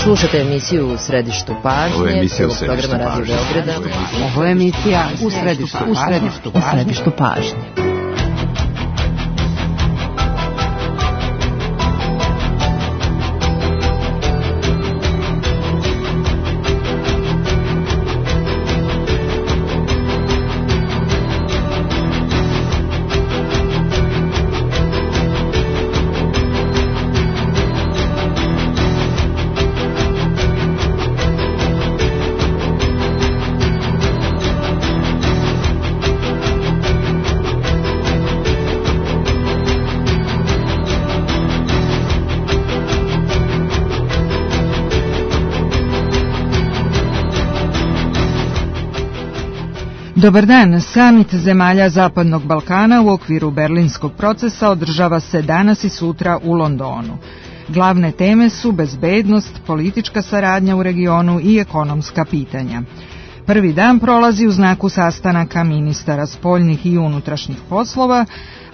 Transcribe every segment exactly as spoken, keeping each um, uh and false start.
Slušate emisiju U središtu pažnje, prvog programa Radio Beograda. Ovo je emisija U središtu, u središtu, u središtu pažnje. Dobar dan, samit zemalja Zapadnog Balkana u okviru Berlinskog procesa održava se danas i sutra u Londonu. Glavne teme su bezbednost, politička saradnja u regionu i ekonomska pitanja. Prvi dan prolazi u znaku sastanaka ministara spoljnih i unutrašnjih poslova,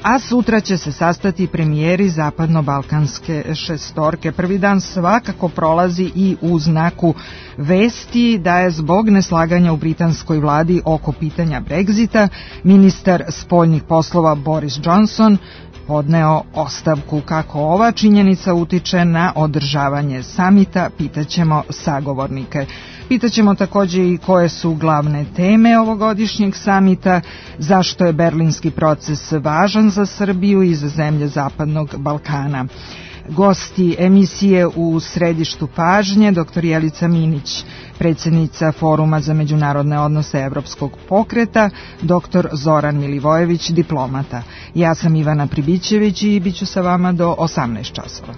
a sutra će se sastati premijeri zapadno-balkanske šestorke. Prvi dan svakako prolazi i u znaku vesti da je zbog neslaganja u britanskoj vladi oko pitanja Brexita ministar spoljnih poslova Boris Johnson podneo ostavku. Kako ova činjenica utiče na održavanje samita, pitaćemo sagovornike. Pitaćemo također i koje su glavne teme ovogodišnjeg samita, zašto je berlinski proces važan za Srbiju i za zemlje Zapadnog Balkana. Gosti emisije U središtu pažnje, doktor Jelica Minić, predsjednica Foruma za međunarodne odnose Evropskog pokreta, doktor Zoran Milivojević, diplomata. Ja sam Ivana Pribićević i bit ću sa vama do osamnaest časova.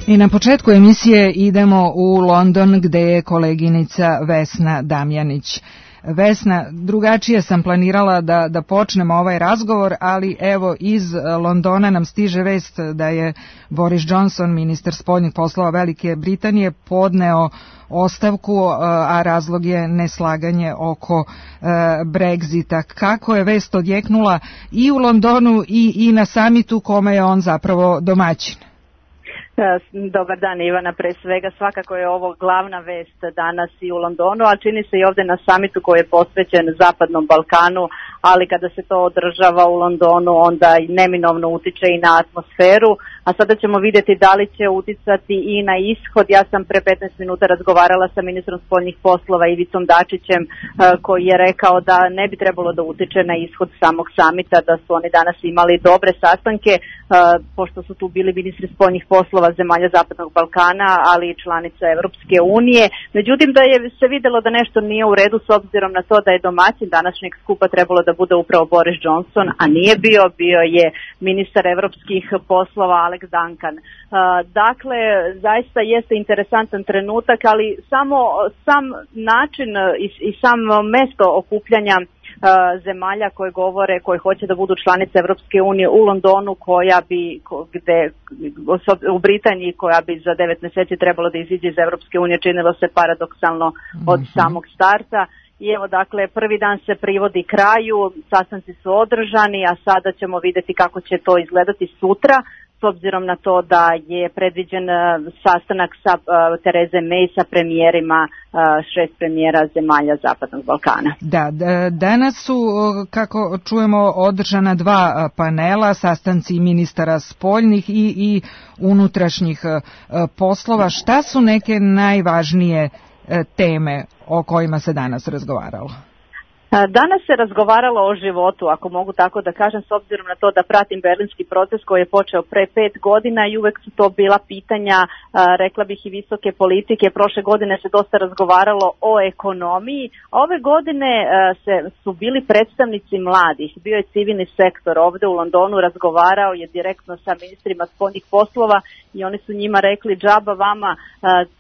I na početku emisije idemo u London gdje je koleginica Vesna Damjanić. Vesna, drugačije sam planirala da, da počnemo ovaj razgovor, ali evo iz Londona nam stiže vest da je Boris Johnson, ministar spoljnih poslova Velike Britanije, podneo ostavku, a razlog je neslaganje oko Brexita. Kako je vest odjeknula i u Londonu i, i na samitu kome je on zapravo domaćin? Dobar dan Ivana, pre svega svakako je ovo glavna vest danas i u Londonu, a čini se i ovdje na samitu koji je posvećen Zapadnom Balkanu, ali kada se to održava u Londonu onda i neminovno utiče i na atmosferu, a sada ćemo vidjeti da li će uticati i na ishod. Ja sam pre petnaest minuta razgovarala sa ministrom spoljnih poslova Ivicom Dačićem koji je rekao da ne bi trebalo da utiče na ishod samog samita, da su oni danas imali dobre sastanke, pošto su tu bili ministri spoljnih poslova zemalja Zapadnog Balkana, ali i članica Evropske unije. Međutim, da je se vidjelo da nešto nije u redu s obzirom na to da je domaćin današnjeg skupa trebalo da bude upravo Boris Johnson, a nije bio, bio je ministar evropskih poslova Alex Duncan. Dakle, zaista jeste interesantan trenutak, ali samo sam način i, i sam mesto okupljanja zemalja koje govore, koje hoće da budu članice Evropske unije u Londonu, koja bi, gde, u Britaniji, koja bi za devet mjeseci trebalo da iziđe iz Evropske unije, činilo se paradoksalno od mm-hmm. samog starta. I evo, dakle, prvi dan se privodi kraju, sastanci su održani, a sada ćemo vidjeti kako će to izgledati sutra, s obzirom na to da je predviđen sastanak sa uh, Tereze May sa premijerima, uh, šest premijera zemalja Zapadnog Balkana. Da, danas su, kako čujemo, održana dva panela, sastanci ministara spoljnih i, i unutrašnjih uh, poslova. Šta su neke najvažnije uh, teme o kojima se danas razgovaralo? Danas se razgovaralo o životu, ako mogu tako da kažem, s obzirom na to da pratim berlinski proces koji je počeo pre pet godina i uvek su to bila pitanja, rekla bih i visoke politike. Prošle godine se dosta razgovaralo o ekonomiji, a ove godine se, su bili predstavnici mladih, bio je civilni sektor ovde u Londonu, razgovarao je direktno sa ministrima spoljnih poslova i oni su njima rekli džaba vama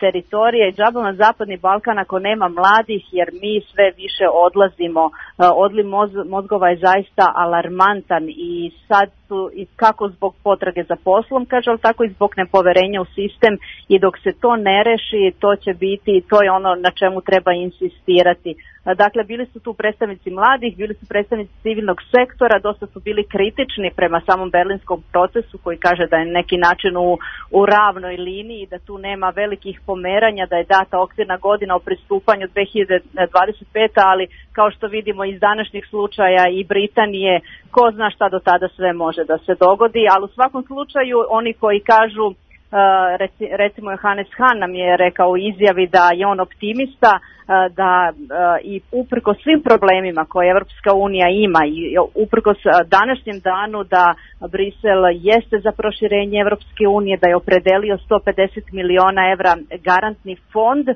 teritorija i džaba vam Zapadni Balkan ako nema mladih, jer mi sve više odlazimo odliv mozgova je zaista alarmantan i sad su i kako zbog potrage za poslom, kaže, ali tako i zbog nepoverenja u sistem i dok se to ne reši, to će biti, to je ono na čemu treba insistirati. Dakle, bili su tu predstavnici mladih, bili su predstavnici civilnog sektora, dosta su bili kritični prema samom berlinskom procesu koji kaže da je neki način u, u ravnoj liniji, da tu nema velikih pomeranja, da je data okvirna godina o pristupanju dve hiljade dvadeset pete. ali kao što vidimo iz današnjih slučaja i Britanije, ko zna šta do tada sve može da se dogodi, ali u svakom slučaju oni koji kažu, recimo Johannes Hahn nam je rekao u izjavi da je on optimista, da i uprko svim problemima koje Evropska unija ima i uprko današnjem danu da Brisel jeste za proširenje Evropske unije, da je opredelio sto pedeset miliona evra garantni fond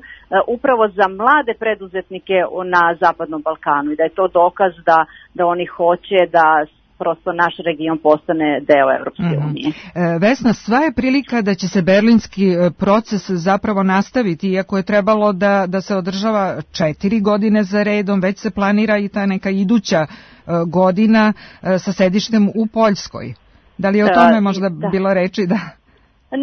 upravo za mlade preduzetnike na Zapadnom Balkanu i da je to dokaz da, da oni hoće da prosto naš region postane deo Evropske unije. Mm-hmm. Vesna, sva je prilika da će se berlinski proces zapravo nastaviti, iako je trebalo da, da se održava četiri godine za redom, već se planira i ta neka iduća godina sa sedištem u Poljskoj. Da li je o tome možda da. bilo reči da...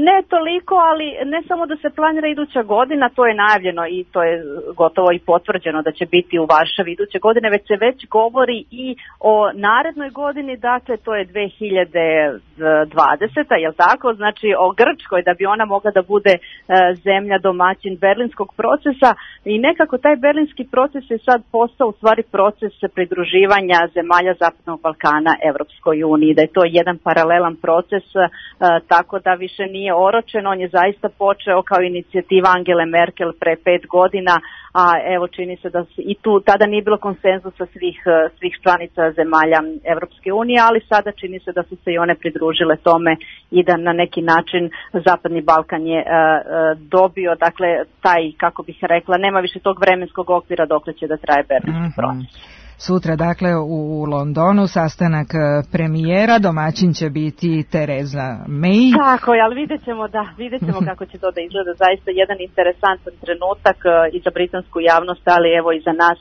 Ne toliko, ali ne samo da se planira iduća godina, to je najavljeno i to je gotovo i potvrđeno da će biti u Varšavi iduće godine, već se već govori i o narednoj godini, dakle to je dve hiljade dvadeseta. Jel tako? Znači o Grčkoj, da bi ona mogla da bude e, zemlja domaćin berlinskog procesa i nekako taj berlinski proces je sad postao u stvari proces pridruživanja zemalja Zapadnog Balkana Evropskoj uniji, da je to jedan paralelan proces, e, tako da više nije nije oročen, on je zaista počeo kao inicijativa Angele Merkel pre pet godina, a evo čini se da se, i tu tada nije bilo konsenzusa svih, svih članica zemalja Evropske unije, ali sada čini se da su se i one pridružile tome i da na neki način Zapadni Balkan je uh, dobio, dakle, taj, kako bih rekla, nema više tog vremenskog okvira dokle će da traje berlinski proces. Mm-hmm. Sutra, dakle, u Londonu sastanak premijera, domaćin će biti Theresa May. Tako je, ali vidjet ćemo, da, vidjet ćemo kako će to da izgleda. Zaista jedan interesantan trenutak i za britansku javnost, ali evo i za nas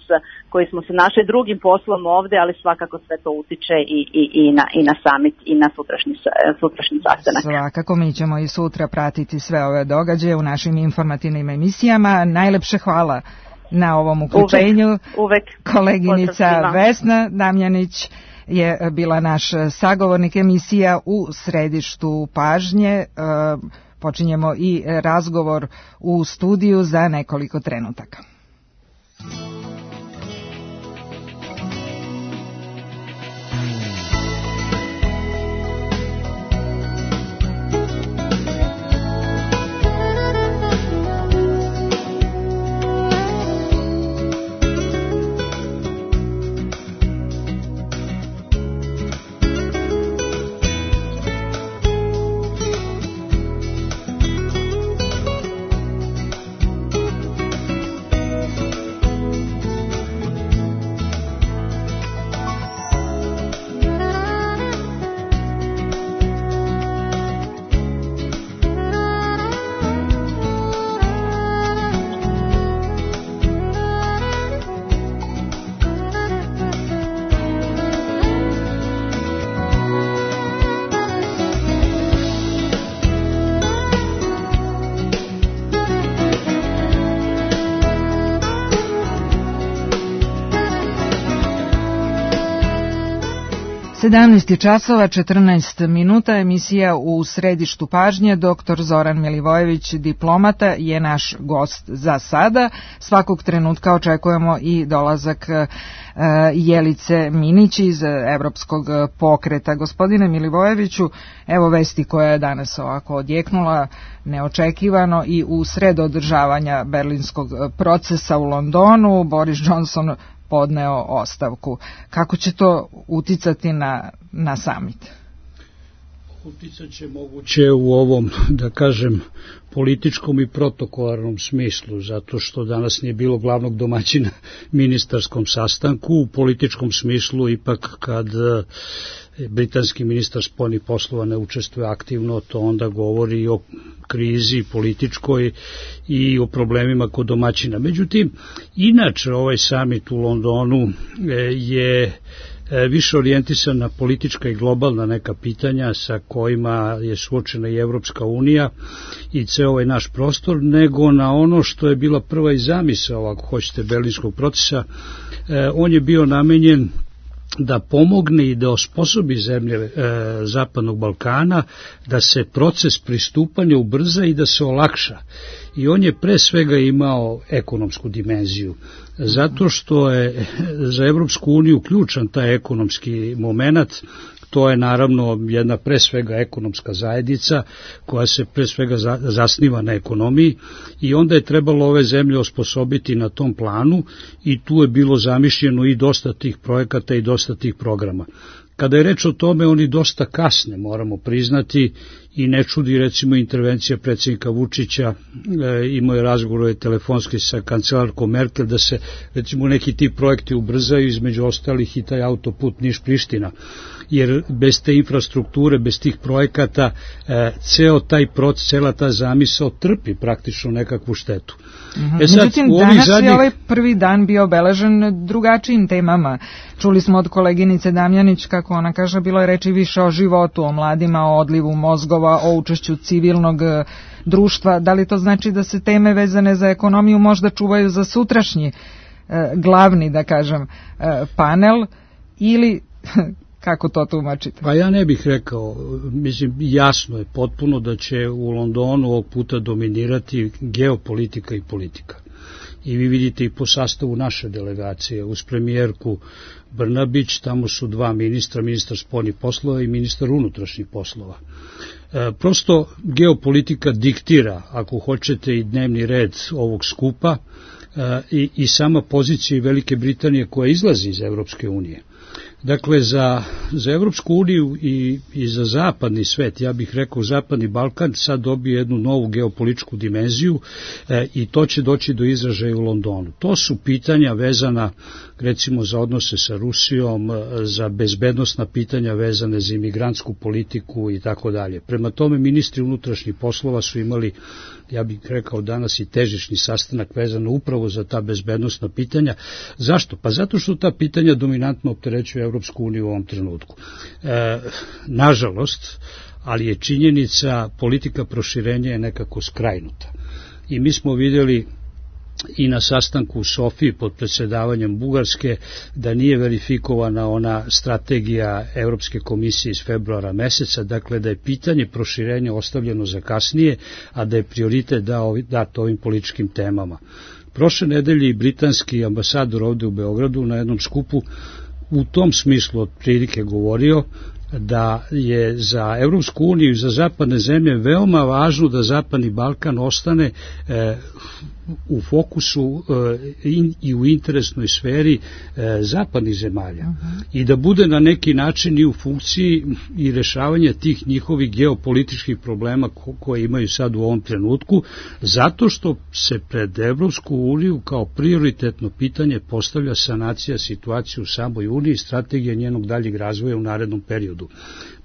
koji smo se našli drugim poslom ovde, ali svakako sve to utiče i, i, i, na, i na summit i na sutrašnji, sutrašnji sastanak. Svakako, mi ćemo i sutra pratiti sve ove događaje u našim informativnim emisijama. Najlepše hvala na ovom uključenju. Uvek, uvek. Koleginica Vesna Damjanić je bila naš sagovornik, emisija u središtu pažnje. Počinjemo i razgovor u studiju za nekoliko trenutaka. sedamnaest časova četrnaest minuta, emisija u središtu pažnje. Doktor Zoran Milivojević, diplomata, je naš gost za sada. Svakog trenutka očekujemo i dolazak uh, Jelice Minić iz Evropskog pokreta. Gospodine Milivojeviću, evo vesti koja je danas ovako odjeknula neočekivano i u sred održavanja berlinskog procesa u Londonu. Boris Johnson podneo ostavku. Kako će to uticati na, na summit? uticat će moguće u ovom, da kažem, političkom i protokolarnom smislu, zato što danas nije bilo glavnog domaćina ministarskom sastanku. U političkom smislu ipak kad britanski ministar spoljnih poslova ne učestvuje aktivno, to onda govori o krizi političkoj i o problemima kod domaćina. Međutim, inače ovaj samit u Londonu je više orijentisan na politička i globalna neka pitanja sa kojima je suočena i Evropska unija i ceo ovaj naš prostor, nego na ono što je bila prva i zamisao, ako hoćete, Berlinskog procesa. On je bio namenjen da pomogne i da osposobi zemlje e, Zapadnog Balkana da se proces pristupanja ubrza i da se olakša. I on je pre svega imao ekonomsku dimenziju, zato što je za Evropsku uniju ključan taj ekonomski moment. To je naravno jedna pre svega ekonomska zajednica koja se pre svega zasniva na ekonomiji i onda je trebalo ove zemlje osposobiti na tom planu i tu je bilo zamišljeno i dosta tih projekata i dosta tih programa. Kada je reč o tome, oni dosta kasne, moramo priznati, i ne čudi recimo intervencija predsjednika Vučića, e, imao je razgovor telefonski sa kancelarkom Merkel da se recimo neki ti projekti ubrzaju, između ostalih i taj autoput Niš-Priština, jer bez te infrastrukture, bez tih projekata, e, ceo taj proces, cela ta zamisao trpi praktično nekakvu štetu. Mm-hmm. E sad, Međutim, danas zadnjih... je ovaj prvi dan bio obeležen drugačijim temama. Čuli smo od koleginice Damjanić, kako ona kaže, bilo je reči više o životu, o mladima, o odlivu mozgova, o učešću civilnog društva. Da li to znači da se teme vezane za ekonomiju možda čuvaju za sutrašnji e, glavni, da kažem, e, panel, ili kako to tumačite? Pa ja ne bih rekao, mislim, jasno je potpuno da će u Londonu ovog puta dominirati geopolitika i politika. I vi vidite i po sastavu naše delegacije, uz premijerku Brnabić, tamo su dva ministra, ministar spoljnih poslova i ministar unutrašnjih poslova. E, prosto geopolitika diktira, ako hoćete, i dnevni red ovog skupa e, i, i sama pozicija Velike Britanije koja izlazi iz Evropske unije. Dakle, za, za Evropsku uniju i, i za zapadni svet, ja bih rekao Zapadni Balkan, sad dobije jednu novu geopolitičku dimenziju e, i to će doći do izražaja u Londonu. To su pitanja vezana recimo za odnose sa Rusijom, za bezbednosna pitanja vezane za imigrantsku politiku i tako dalje. Prema tome, ministri unutrašnjih poslova su imali, ja bih rekao danas, i težišni sastanak vezano upravo za ta bezbednosna pitanja. Zašto? Pa zato što ta pitanja dominantno opterećuju Evropsku uniju u ovom trenutku. E, nažalost, ali je činjenica, politika proširenja je nekako skrajnuta. I mi smo vidjeli i na sastanku u Sofiji pod predsjedavanjem Bugarske da nije verifikovana ona strategija Evropske komisije iz februara meseca, dakle da je pitanje proširenja ostavljeno za kasnije, a da je prioritet dat ovim političkim temama. Prošle nedelje i britanski ambasador ovde u Beogradu na jednom skupu u tom smislu otprilike govorio da je za Evropsku uniju i za zapadne zemlje veoma važno da Zapadni Balkan ostane e, u fokusu e, in, i u interesnoj sferi e, zapadnih zemalja uh-huh. i da bude na neki način i u funkciji i rešavanja tih njihovih geopolitičkih problema ko, koje imaju sad u ovom trenutku, zato što se pred Evropsku uniju kao prioritetno pitanje postavlja sanacija situacije u samoj uniji i strategija njenog daljeg razvoja u narednom periodu.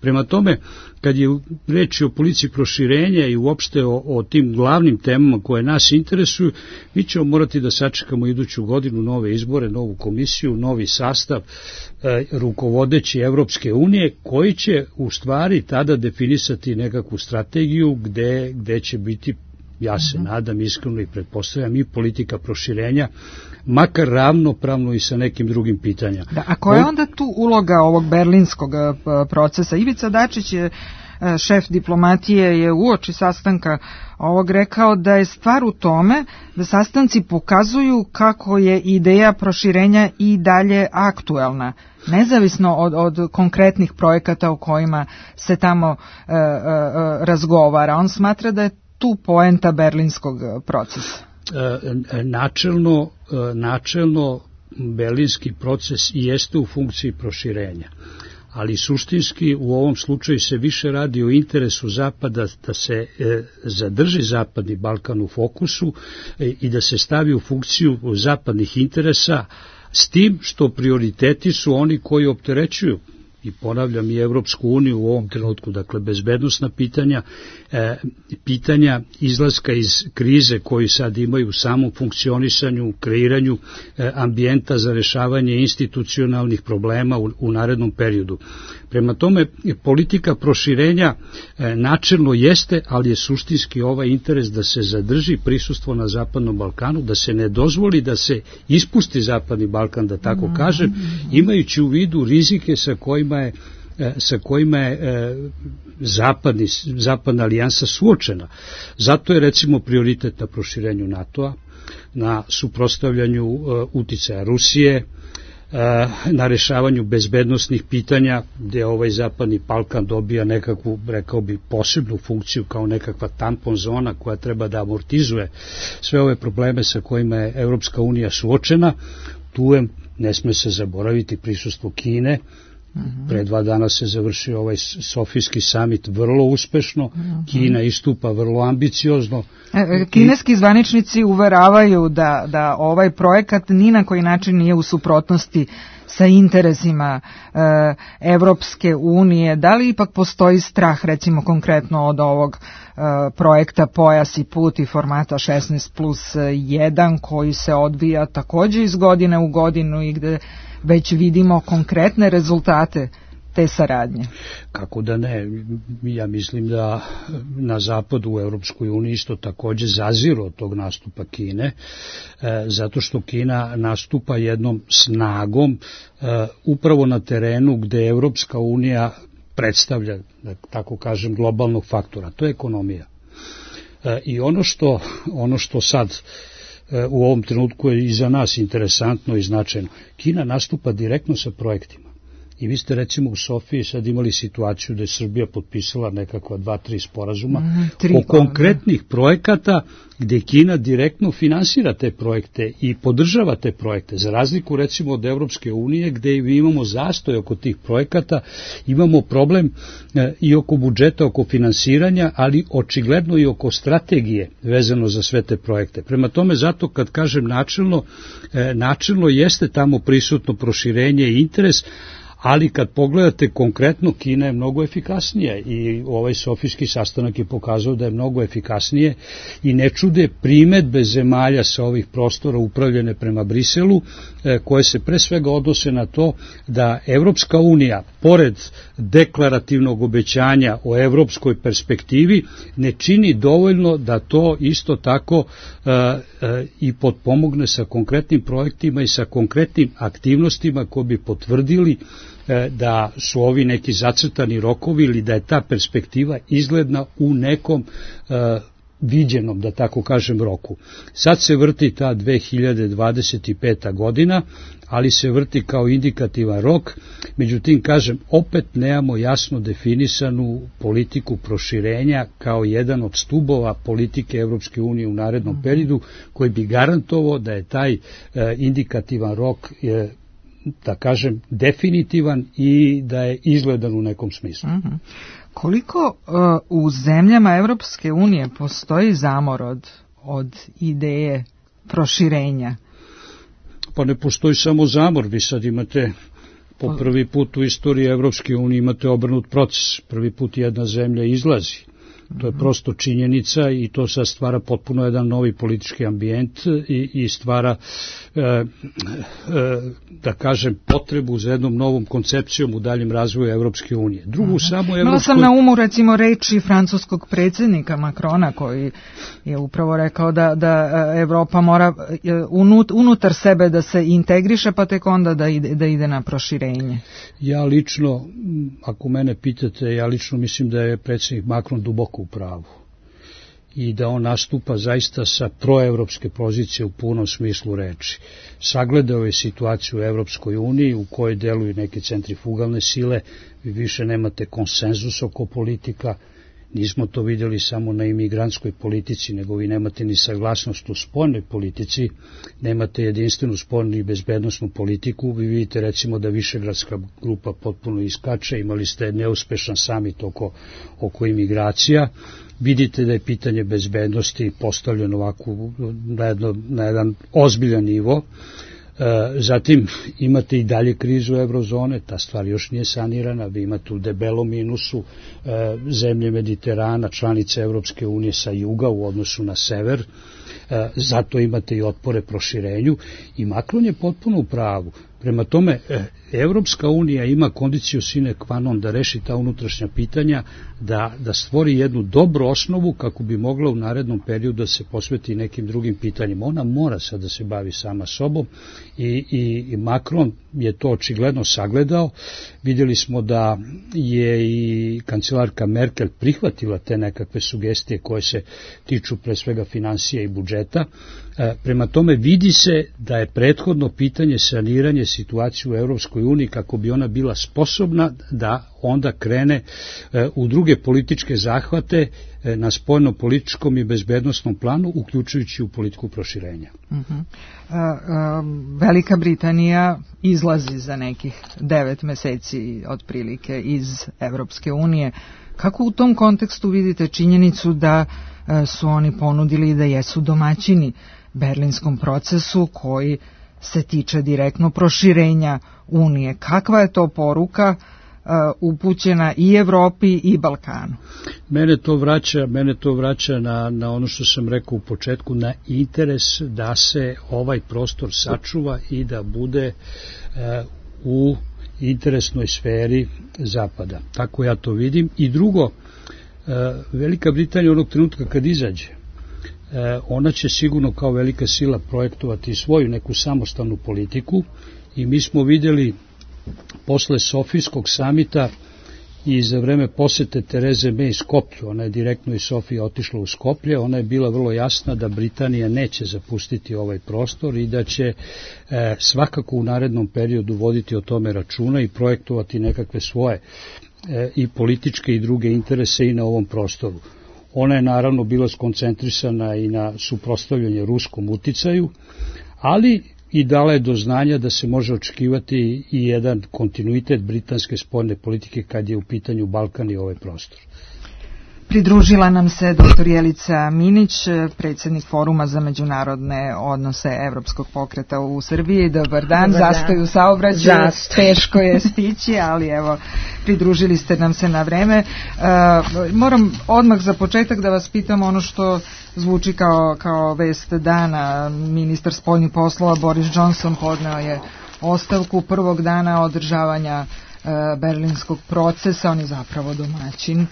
Prema tome, kad je reč o politici proširenja i uopšte o, o tim glavnim temama koje nas interesuju, mi ćemo morati da sačekamo iduću godinu nove izbore, novu komisiju, novi sastav e, rukovodeći Evropske unije, koji će u stvari tada definisati nekakvu strategiju gde, gde će biti, ja se nadam iskreno i pretpostavljam, i politika proširenja, makar ravnopravno i sa nekim drugim pitanjama. Da, a koja je onda tu uloga ovog berlinskog procesa? Ivica Dačić je, šef diplomatije, je uoči sastanka ovog rekao da je stvar u tome da sastanci pokazuju kako je ideja proširenja i dalje aktuelna, nezavisno od, od konkretnih projekata o kojima se tamo e, e, razgovara. On smatra da je tu poenta berlinskog procesa. E, načelno, načelno berlinski proces jeste u funkciji proširenja, ali suštinski u ovom slučaju se više radi o interesu Zapada da se e, zadrži Zapadni Balkan u fokusu e, i da se stavi u funkciju zapadnih interesa, s tim što prioriteti su oni koji opterećuju, i ponavljam, i Evropsku uniju u ovom trenutku, dakle bezbednosna pitanja, e, pitanja izlaska iz krize koju sad imaju u samom funkcionisanju, kreiranju e, ambijenta za rešavanje institucionalnih problema u, u narednom periodu. Prema tome, politika proširenja e, načelno jeste, ali je suštinski ovaj interes da se zadrži prisustvo na Zapadnom Balkanu, da se ne dozvoli da se ispusti Zapadni Balkan, da tako mm-hmm. kažem, imajući u vidu rizike sa kojima je sa kojima je zapadni, zapadna alijansa suočena. Zato je recimo prioritet na proširenju NATO-a, na suprotstavljanju uticaja Rusije, na rešavanju bezbednosnih pitanja, gde ovaj Zapadni Balkan dobija nekakvu, rekao bi, posebnu funkciju kao nekakva tampon zona koja treba da amortizuje sve ove probleme sa kojima je Evropska unija suočena. Tu je, ne sme se zaboraviti, prisustvo Kine. Uhum. Pre dva dana se završio ovaj Sofijski samit vrlo uspešno, uhum. Kina istupa vrlo ambiciozno. Kineski zvaničnici uveravaju da, da ovaj projekat ni na koji način nije u suprotnosti sa interesima e, Evropske unije. Da li ipak postoji strah, recimo konkretno od ovog e, projekta Pojas i put i formata šesnaest plus jedan koji se odvija takođe iz godine u godinu i gde već vidimo konkretne rezultate te saradnje? Kako da ne, ja mislim da na zapadu u Evropskoj uniji isto takođe zaziru od tog nastupa Kine, e, zato što Kina nastupa jednom snagom e, upravo na terenu gde Evropska unija predstavlja, da tako kažem, globalnog faktora, to je ekonomija. E, I ono što, ono što sad u ovom trenutku je i za nas interesantno i značajno. Kina nastupa direktno sa projektima. I vi ste recimo u Sofiji sad imali situaciju da je Srbija potpisala nekakva dva, tri sporazuma mm, tri o konkretnih projekata gde Kina direktno finansira te projekte i podržava te projekte. Za razliku recimo od Evropske unije gde imamo zastoj oko tih projekata, imamo problem e, i oko budžeta, oko finansiranja, ali očigledno i oko strategije vezano za sve te projekte. Prema tome, zato kad kažem načelno, e, načelno jeste tamo prisutno proširenje i interes, ali kad pogledate konkretno, Kina je mnogo efikasnija i ovaj Sofijski sastanak je pokazao da je mnogo efikasnije i ne čude primedbe zemalja sa ovih prostora upravljene prema Briselu, koje se pre svega odnose na to da Evropska unija, pored deklarativnog obećanja o evropskoj perspektivi, ne čini dovoljno da to isto tako uh, uh, i potpomogne sa konkretnim projektima i sa konkretnim aktivnostima koji bi potvrdili da su ovi neki zacrtani rokovi ili da je ta perspektiva izgledna u nekom uh, viđenom, da tako kažem, roku. Sad se vrti ta dve hiljade dvadeset peta godina, ali se vrti kao indikativan rok, međutim, kažem, opet nemamo jasno definisanu politiku proširenja kao jedan od stubova politike Evropske unije u narednom periodu, koji bi garantovao da je taj uh, indikativan rok uh, da kažem, definitivan i da je izgledan u nekom smislu. Uh-huh. Koliko uh, u zemljama Evropske unije postoji zamor od, od ideje proširenja? Pa ne postoji samo zamor, vi sad imate po prvi put u istoriji Evropske unije imate obrnut proces, prvi put jedna zemlja izlazi. To je prosto činjenica i to sad stvara potpuno jedan novi politički ambijent i, i stvara, e, e, da kažem, potrebu za jednom novom koncepcijom u daljem razvoju Evropske unije. Drugu Aha. samo Evropskoj... Imala sam na umu, recimo, reči francuskog predsjednika Macrona, koji je upravo rekao da, da Evropa mora unut, unutar sebe da se integriše, pa tek onda da ide, da ide na proširenje. Ja lično, ako mene pitate, ja lično mislim da je predsjednik Macron duboko u pravu i da on nastupa zaista sa proevropske pozicije u punom smislu reči. Sagledao je situaciju u Evropskoj uniji u kojoj deluju neke centrifugalne sile, vi više nemate konsenzus oko politika, Nismo to vidjeli samo na imigrantskoj politici, nego vi nemate ni saglasnost u spoljnoj politici, nemate jedinstvenu spoljnu i bezbednosnu politiku. Vi vidite recimo da Višegradska grupa potpuno iskače, imali ste neuspešan samit oko, oko imigracija. Vidite da je pitanje bezbednosti postavljeno ovako na, jedno, na jedan ozbiljan nivo. Zatim imate i dalje krizu eurozone, ta stvar još nije sanirana, vi imate u debelom minusu zemlje Mediterana, članice Evropske unije sa juga u odnosu na sever, zato imate i otpore proširenju i Macron je potpuno u pravu. Prema tome, Evropska unija ima kondiciju sine qua non da reši ta unutrašnja pitanja, da, da stvori jednu dobru osnovu kako bi mogla u narednom periodu da se posveti nekim drugim pitanjima. Ona mora sad da se bavi sama sobom i, i, i Macron je to očigledno sagledao. Vidjeli smo da je i kancelarka Merkel prihvatila te nekakve sugestije koje se tiču pre svega financija i budžeta. Prema tome vidi se da je prethodno pitanje saniranje situacije u Evropskoj uniji kako bi ona bila sposobna da onda krene u druge političke zahvate na spoljno-političkom i bezbednosnom planu, uključujući u politiku proširenja. Uh-huh. a, a, Velika Britanija izlazi za nekih devet meseci otprilike iz Evropske unije. Kako u tom kontekstu vidite činjenicu da a, su oni ponudili da jesu domaćini berlinskom procesu koji se tiče direktno proširenja Unije? Kakva je to poruka uh, upućena i Evropi i Balkanu? Mene to vraća, mene to vraća na, na ono što sam rekao u početku, na interes da se ovaj prostor sačuva i da bude uh, u interesnoj sferi Zapada. Tako ja to vidim. I drugo, uh, Velika Britanija onog trenutka kad izađe, ona će sigurno kao velika sila projektovati svoju neku samostalnu politiku i mi smo vidjeli posle Sofijskog samita i za vreme posete Tereze May Skoplju, ona je direktno iz Sofije otišla u Skoplje, ona je bila vrlo jasna da Britanija neće zapustiti ovaj prostor i da će e, svakako u narednom periodu voditi o tome računa i projektovati nekakve svoje e, i političke i druge interese i na ovom prostoru. Ona je naravno bila skoncentrisana i na suprotstavljanje ruskom uticaju, ali i dala je do znanja da se može očekivati i jedan kontinuitet britanske spoljne politike kad je u pitanju Balkan i ovaj prostor. Pridružila nam se doktor Jelica Minić, predsjednik Foruma za međunarodne odnose Evropskog pokreta u Srbiji. Dobar dan, Dobar zastoj dan. U saobraćaju, teško je stići, ali evo, pridružili ste nam se na vreme. Uh, moram odmah za početak da vas pitam ono što zvuči kao, kao vest dana. Ministar spoljnih poslova Boris Johnson podneo je ostavku prvog dana održavanja uh, berlinskog procesa, on je zapravo domaćin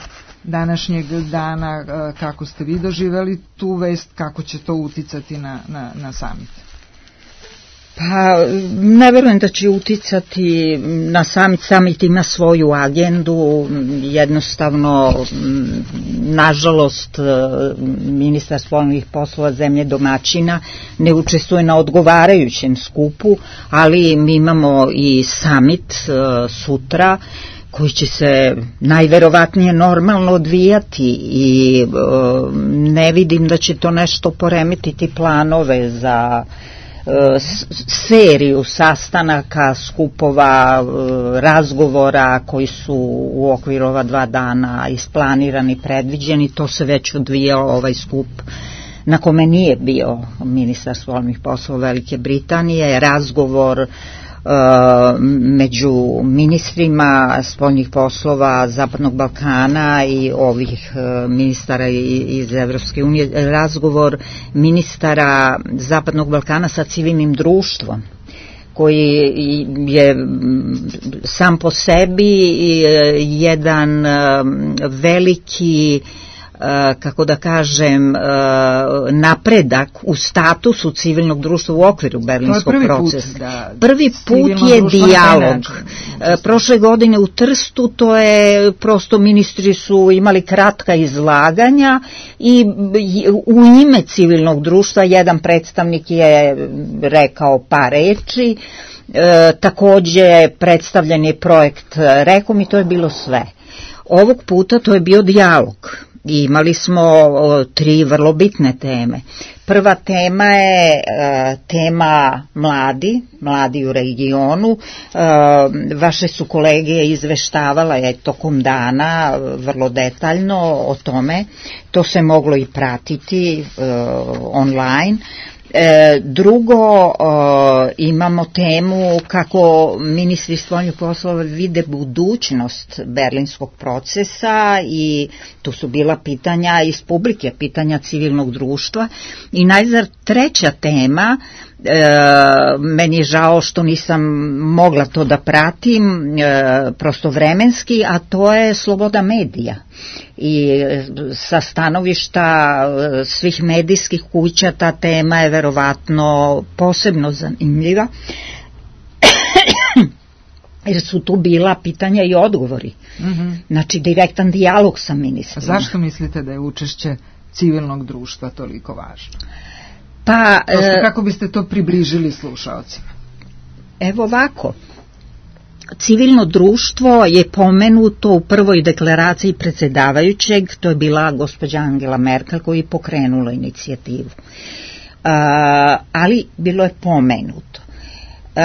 današnjeg dana. Kako ste vi doživjeli tu vest, kako će to uticati na, na, na samit? Pa, ne verujem da će uticati na samit. Samit ima svoju agendu, jednostavno, nažalost, ministar spoljnih poslova zemlje domaćina ne učestvuje na odgovarajućem skupu, ali mi imamo i samit sutra, koji će se najverovatnije normalno odvijati i e, ne vidim da će to nešto poremetiti planove za e, seriju sastanaka, skupova, e, razgovora koji su u okviru ova dva dana isplanirani, predviđeni. To se već odvijao ovaj skup na kome nije bio ministar spoljnih poslova Velike Britanije, razgovor među ministrima spoljnih poslova Zapadnog Balkana i ovih ministara iz Evropske unije, razgovor ministara Zapadnog Balkana sa civilnim društvom, koji je sam po sebi jedan veliki, kako da kažem, napredak u statusu civilnog društva u okviru berlinskog prvi procesa. Put, da, prvi put je dijalog. Prošle godine u Trstu to je prosto, ministri su imali kratka izlaganja i u ime civilnog društva jedan predstavnik je rekao par reči. E, takođe predstavljen je projekt Rekom i to je bilo sve. Ovog puta to je bio dijalog I imali smo o, tri vrlo bitne teme. Prva tema je e, tema mladi, mladi u regionu. E, vaše su kolege izveštavale tokom dana vrlo detaljno o tome. To se moglo i pratiti e, online. E, drugo, e, imamo temu kako ministri spoljnih poslova vide budućnost berlinskog procesa i tu su bila pitanja iz publike, pitanja civilnog društva. I najzad treća tema, e, meni je žao što nisam mogla to da pratim e, prosto vremenski, a to je sloboda medija. I sa stanovišta svih medijskih kuća ta tema je verovatno posebno zanimljiva jer su tu bila pitanja i odgovori. Mm-hmm. Znači direktan dijalog sa ministrima. Zašto mislite da je učešće civilnog društva toliko važno? Pa, Prosto kako biste to približili slušaocima? Evo ovako. Civilno društvo je pomenuto u prvoj deklaraciji predsjedavajućeg, to je bila gospođa Angela Merkel koja je pokrenula inicijativu. Uh, ali bilo je pomenuto. Uh,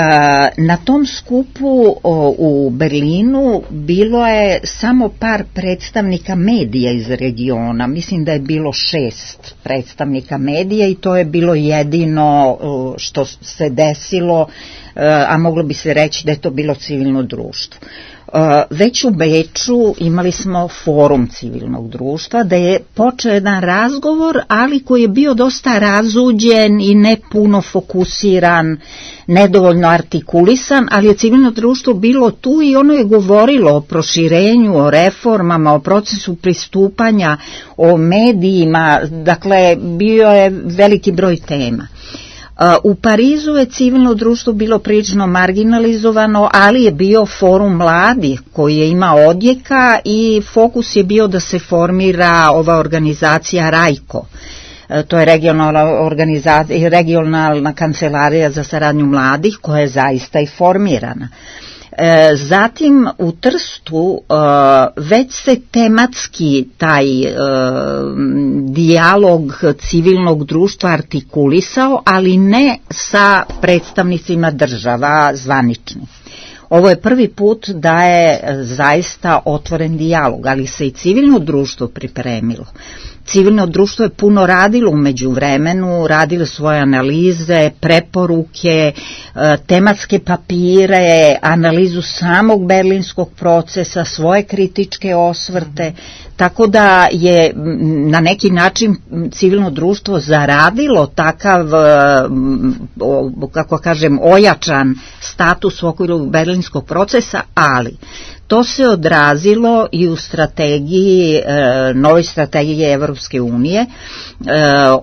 na tom skupu o, u Berlinu bilo je samo par predstavnika medija iz regiona, mislim da je bilo šest predstavnika medija i to je bilo jedino uh, što se desilo, a moglo bi se reći da je to bilo civilno društvo. Već u Beču imali smo forum civilnog društva da je počeo jedan razgovor, ali koji je bio dosta razuđen i ne puno fokusiran, nedovoljno artikulisan, ali je civilno društvo bilo tu i ono je govorilo o proširenju, o reformama, o procesu pristupanja, o medijima, dakle bio je veliki broj tema. U Parizu je civilno društvo bilo prilično marginalizovano, ali je bio forum mladih koji je imao odjeka i fokus je bio da se formira ova organizacija RAIKO. To je regionalna, organizacija, regionalna kancelarija za saradnju mladih koja je zaista i formirana. Zatim u Trstu već se tematski taj dijalog civilnog društva artikulisao, ali ne sa predstavnicima država zvanični. Ovo je prvi put da je zaista otvoren dijalog, ali se i civilno društvo pripremilo. Civilno društvo je puno radilo u međuvremenu, radilo svoje analize, preporuke, tematske papire, analizu samog berlinskog procesa, svoje kritičke osvrte, tako da je na neki način civilno društvo zaradilo takav, kako kažem, ojačan status u okviru berlinskog procesa, ali to se odrazilo i u strategiji, novoj strategiji Evropske unije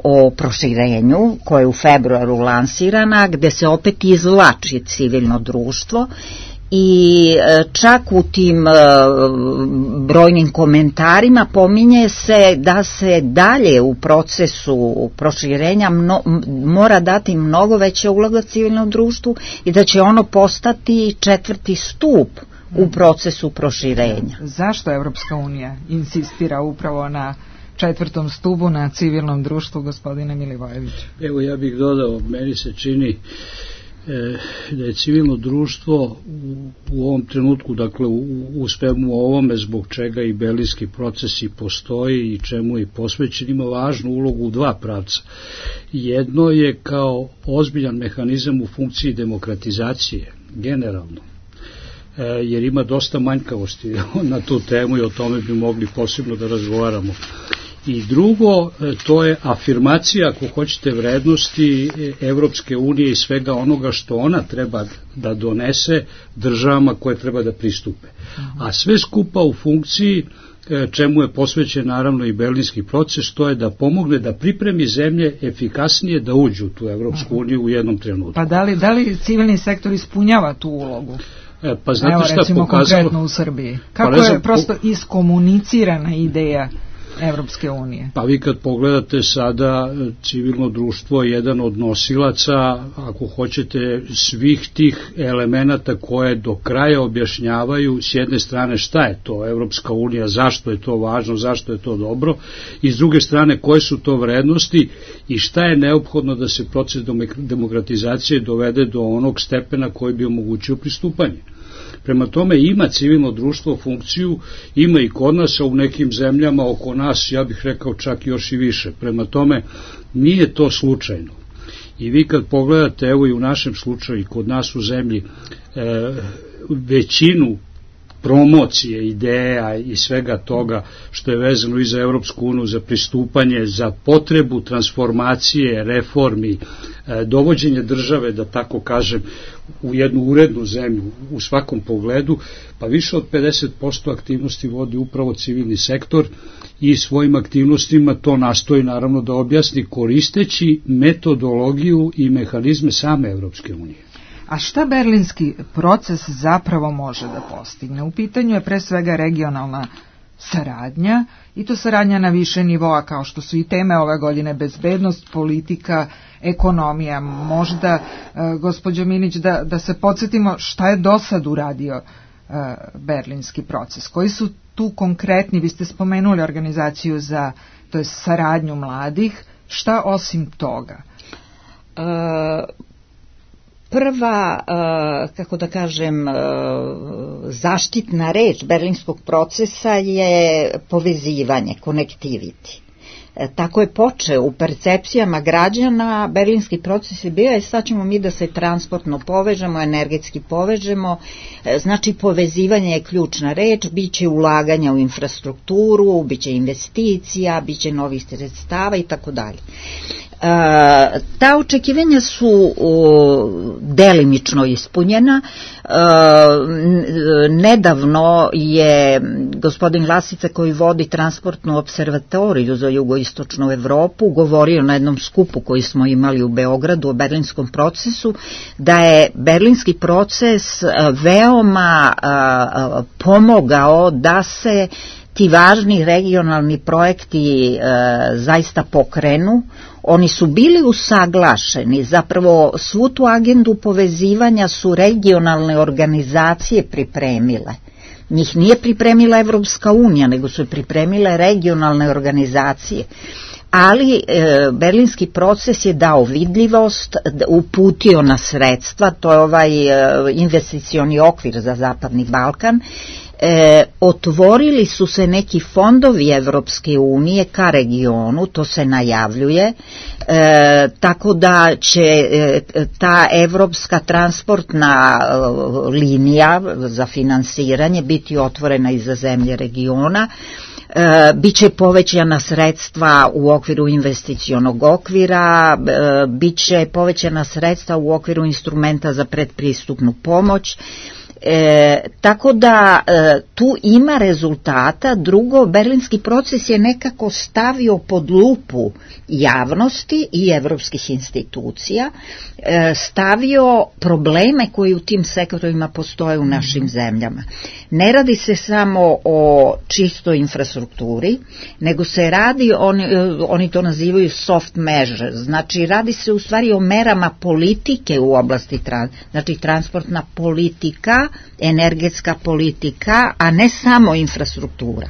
o proširenju, koja je u februaru lansirana, gde se opet izvlači civilno društvo i čak u tim brojnim komentarima pominje se da se dalje u procesu proširenja mno, mora dati mnogo veća uloga civilnom društvu i da će ono postati četvrti stup u procesu proširenja. Zašto Evropska unija insistira upravo na četvrtom stubu, na civilnom društvu, gospodine Milivojević? Evo, ja bih dodao, meni se čini e, da je civilno društvo u, u ovom trenutku, dakle u, u svemu ovome zbog čega i berlinski procesi postoji i čemu je posvećen, ima važnu ulogu u dva pravca. Jedno je kao ozbiljan mehanizam u funkciji demokratizacije, generalno, jer ima dosta manjkavosti na tu temu i o tome bi mogli posebno da razgovaramo. I drugo, to je afirmacija, ako hoćete, vrednosti Evropske unije i svega onoga što ona treba da donese državama koje treba da pristupe. A sve skupa u funkciji čemu je posvećen naravno i berlinski proces, to je da pomogne da pripremi zemlje efikasnije da uđu u tu Evropsku uniju u jednom trenutku. Pa da li, da li civilni sektor ispunjava tu ulogu? Pa znate Evo, šta recimo pokazalo? Konkretno u Srbiji. Kako pa znam, je prosto iskomunicirana ideja Evropske unije? Pa vi kad pogledate sada, civilno društvo je jedan od nosilaca, ako hoćete, svih tih elemenata koje do kraja objašnjavaju s jedne strane šta je to Evropska unija, zašto je to važno, zašto je to dobro, i s druge strane koje su to vrednosti i šta je neophodno da se proces demokratizacije dovede do onog stepena koji bi omogućio pristupanje. Prema tome ima civilno društvo funkciju, ima i kod nas, a u nekim zemljama oko nas, ja bih rekao čak još i više. Prema tome nije to slučajno. I vi kad pogledate, evo i u našem slučaju i kod nas u zemlji, e, većinu promocije, ideja i svega toga što je vezano i za Evropsku uniju, za pristupanje, za potrebu transformacije, reformi, dovođenje države, da tako kažem, u jednu urednu zemlju u svakom pogledu, pa više od pedeset posto aktivnosti vodi upravo civilni sektor i svojim aktivnostima to nastoji naravno da objasni koristeći metodologiju i mehanizme same Evropske unije. A šta berlinski proces zapravo može da postigne? U pitanju je pre svega regionalna saradnja i to saradnja na više nivoa, kao što su i teme ove godine: bezbednost, politika, ekonomija. Možda, e, gospođo Minić, da, da se podsjetimo šta je do sad uradio e, berlinski proces. Koji su tu konkretni, vi ste spomenuli organizaciju za, to je saradnju mladih, šta osim toga? E... Prva, kako da kažem, zaštitna reč berlinskog procesa je povezivanje, connectivity. Tako je počeo u percepcijama građana, berlinski proces je bio, je sad ćemo mi da se transportno povežemo, energetski povežemo, znači povezivanje je ključna reč, bit će ulaganja u infrastrukturu, bit će investicija, bit će novih sredstava i tako dalje. Ta očekivanja su delimično ispunjena. Nedavno je gospodin Lasica, koji vodi transportnu observatoriju za jugoistočnu Evropu, govorio na jednom skupu koji smo imali u Beogradu o berlinskom procesu, da je berlinski proces veoma pomogao da se ti važni regionalni projekti e, zaista pokrenu. Oni su bili usaglašeni, zapravo svu tu agendu povezivanja su regionalne organizacije pripremile. Njih nije pripremila Evropska unija, nego su pripremile regionalne organizacije. Ali e, berlinski proces je dao vidljivost, uputio na sredstva, to je ovaj e, investicioni okvir za Zapadni Balkan. E, otvorili su se neki fondovi Evropske unije ka regionu, to se najavljuje, e, tako da će e, ta evropska transportna e, linija za finansiranje biti otvorena i za zemlje regiona. E, biće povećana sredstva u okviru investicionog okvira, e, biće povećana sredstva u okviru instrumenta za predpristupnu pomoć. E, tako da e, tu ima rezultata. Drugo, berlinski proces je nekako stavio pod lupu javnosti i evropskih institucija, e, stavio probleme koji u tim sektorima postoje u našim zemljama. Ne radi se samo o čistoj infrastrukturi, nego se radi, oni, oni to nazivaju soft measures, znači radi se u stvari o merama politike u oblasti, znači transportna politika, energetska politika, a ne samo infrastruktura.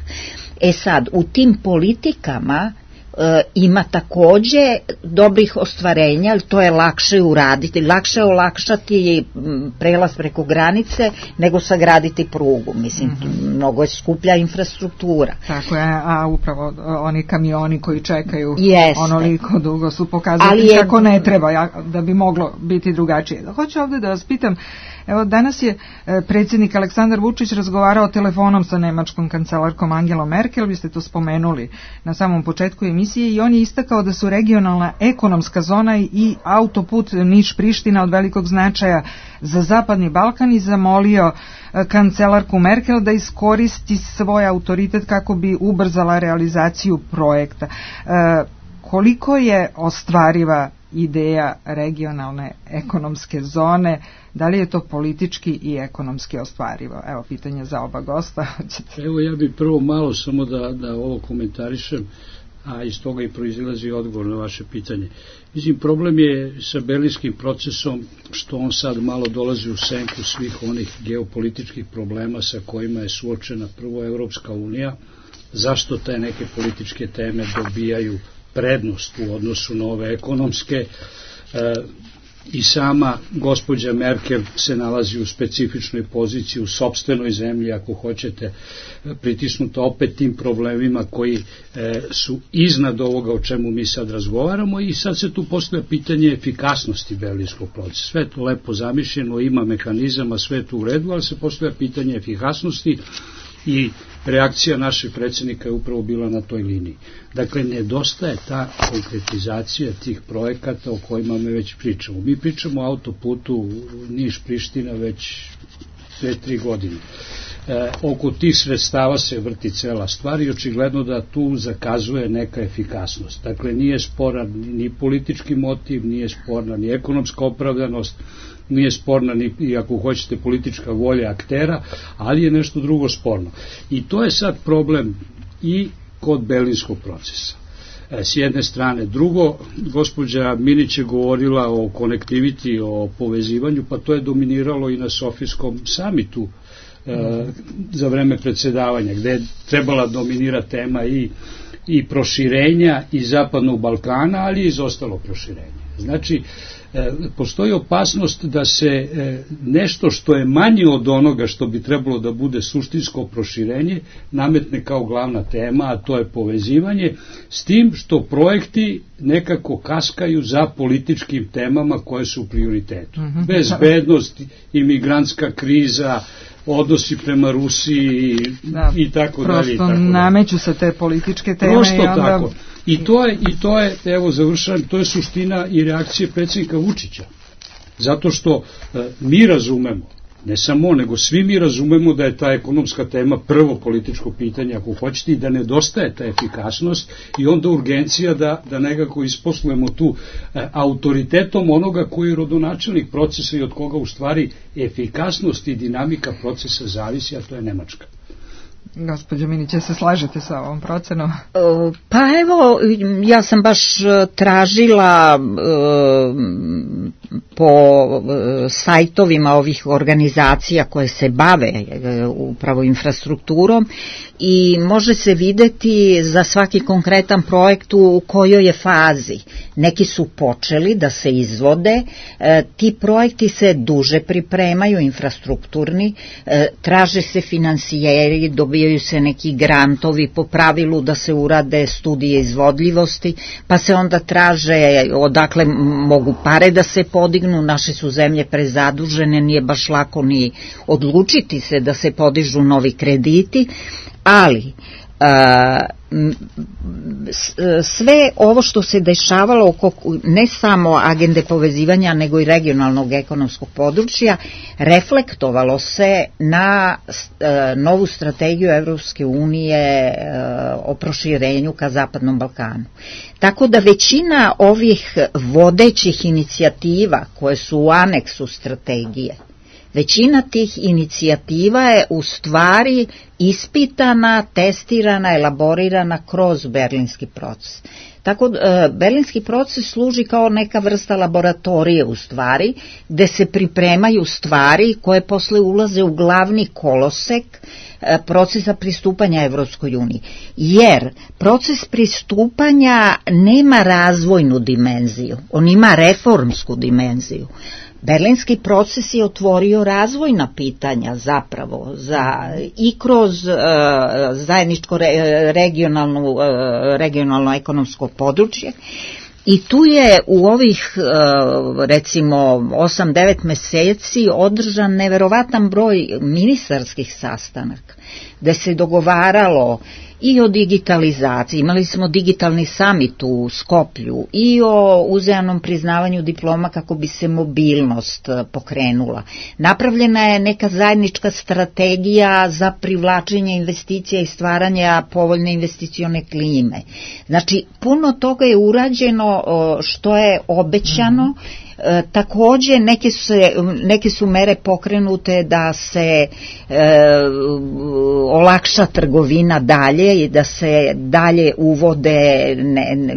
E sad, u tim politikama e, ima takođe dobrih ostvarenja, ali to je lakše uraditi, lakše je olakšati prelaz preko granice nego sagraditi prugu, mislim, mm-hmm. mnogo je skuplja infrastruktura. Tako je, a upravo oni kamioni koji čekaju Jeste. onoliko dugo su pokazali je... kako ne treba, da bi moglo biti drugačije. Hoću ovde da vas pitam, evo, danas je predsjednik Aleksandar Vučić razgovarao telefonom sa nemačkom kancelarkom Angelom Merkel, vi ste to spomenuli na samom početku emisije, i on je istakao da su regionalna ekonomska zona i autoput Niš-Priština od velikog značaja za Zapadni Balkan i zamolio kancelarku Merkel da iskoristi svoj autoritet kako bi ubrzala realizaciju projekta. E, koliko je ostvariva ideja regionalne ekonomske zone, da li je to politički i ekonomski ostvarivo? Evo, pitanje za oba gosta. Evo, ja bih prvo malo samo da, da ovo komentarišem, a iz toga i proizilazi odgovor na vaše pitanje. Mislim, problem je sa berlinskim procesom što on sad malo dolazi u senku svih onih geopolitičkih problema sa kojima je suočena prvo Evropska unija, zašto te neke političke teme dobijaju prednost u odnosu na ove ekonomske. E, i sama gospođa Merkel se nalazi u specifičnoj poziciji u sopstvenoj zemlji, ako hoćete, pritisnuta opet tim problemima koji e, su iznad ovoga o čemu mi sad razgovaramo, i sad se tu postavlja pitanje efikasnosti berlinskog procesa. Sve to lepo zamišljeno, ima mehanizama, sve to u redu, ali se postavlja pitanje efikasnosti i reakcija našeg predsjednika je upravo bila na toj liniji. Dakle, nedostaje ta konkretizacija tih projekata o kojima me već pričamo. Mi pričamo o autoputu Niš-Priština već dve, tri godine. E, oko tih sredstava se vrti cela stvar i očigledno da tu zakazuje neka efikasnost. Dakle, nije sporan ni politički motiv, nije sporna ni ekonomska opravdanost, nije sporna ni, i ako hoćete, politička volja aktera, ali je nešto drugo sporno. I to je sad problem i kod berlinskog procesa. E, s jedne strane. Drugo, gospođa Minić je govorila o konektiviti, o povezivanju, pa to je dominiralo i na Sofijskom samitu e, za vreme predsedavanja, gde je trebala dominira tema i, i proširenja i Zapadnog Balkana, ali i izostalo proširenje. Znači, postoji opasnost da se nešto što je manje od onoga što bi trebalo da bude suštinsko proširenje nametne kao glavna tema, a to je povezivanje, s tim što projekti nekako kaskaju za političkim temama koje su u prioritetu. Mm-hmm. Bezbednost, imigrantska kriza, odnosi prema Rusiji da, i tako dalje. Prosto nameću se te političke teme. Prosto i onda... tako. I to je, i to je, evo završavam, to je suština i reakcije predsjednika Vučića. Zato što e, mi razumemo, ne samo on, nego svi mi razumemo da je ta ekonomska tema prvo političko pitanje, ako hoćete, i da nedostaje ta efikasnost i onda urgencija da, da nekako isposlujemo tu e, autoritetom onoga koji je rodonačelnik procesa i od koga u stvari efikasnost i dinamika procesa zavisi, a to je Nemačka. Gospođo Minić, se slažete sa ovom procenom? Pa evo, ja sam baš tražila po sajtovima ovih organizacija koje se bave upravo infrastrukturom i može se videti za svaki konkretan projekt u kojoj je fazi. Neki su počeli da se izvode, ti projekti se duže pripremaju, infrastrukturni, traže se finansijeri, dobijaju se neki grantovi po pravilu da se urade studije izvodljivosti, pa se onda traže odakle mogu pare da se podignu, naše su zemlje prezadužene, nije baš lako ni odlučiti se da se podižu novi krediti, ali a, sve ovo što se dešavalo oko ne samo agende povezivanja nego i regionalnog ekonomskog područja reflektovalo se na novu strategiju Evropske unije o proširenju ka Zapadnom Balkanu. Tako da većina ovih vodećih inicijativa koje su u aneksu strategije, većina tih inicijativa je u stvari ispitana, testirana, elaborirana kroz berlinski proces. Tako da berlinski proces služi kao neka vrsta laboratorije u stvari, gde se pripremaju stvari koje posle ulaze u glavni kolosek procesa pristupanja Evropskoj uniji. Jer proces pristupanja nema razvojnu dimenziju, on ima reformsku dimenziju. Berlinski proces je otvorio razvojna pitanja zapravo za, i kroz uh, zajedničko re, regionalno, uh, regionalno ekonomsko područje i tu je u ovih uh, recimo osam devet meseci održan neverovatan broj ministarskih sastanaka gde se dogovaralo i o digitalizaciji. Imali smo digitalni samit u Skoplju i o uzajamnom priznavanju diploma kako bi se mobilnost pokrenula. Napravljena je neka zajednička strategija za privlačenje investicija i stvaranja povoljne investicione klime. Znači, puno toga je urađeno što je obećano. Mm-hmm. E, takođe neke su, neke su mere pokrenute da se e, olakša trgovina dalje i da se dalje uvode ne, ne,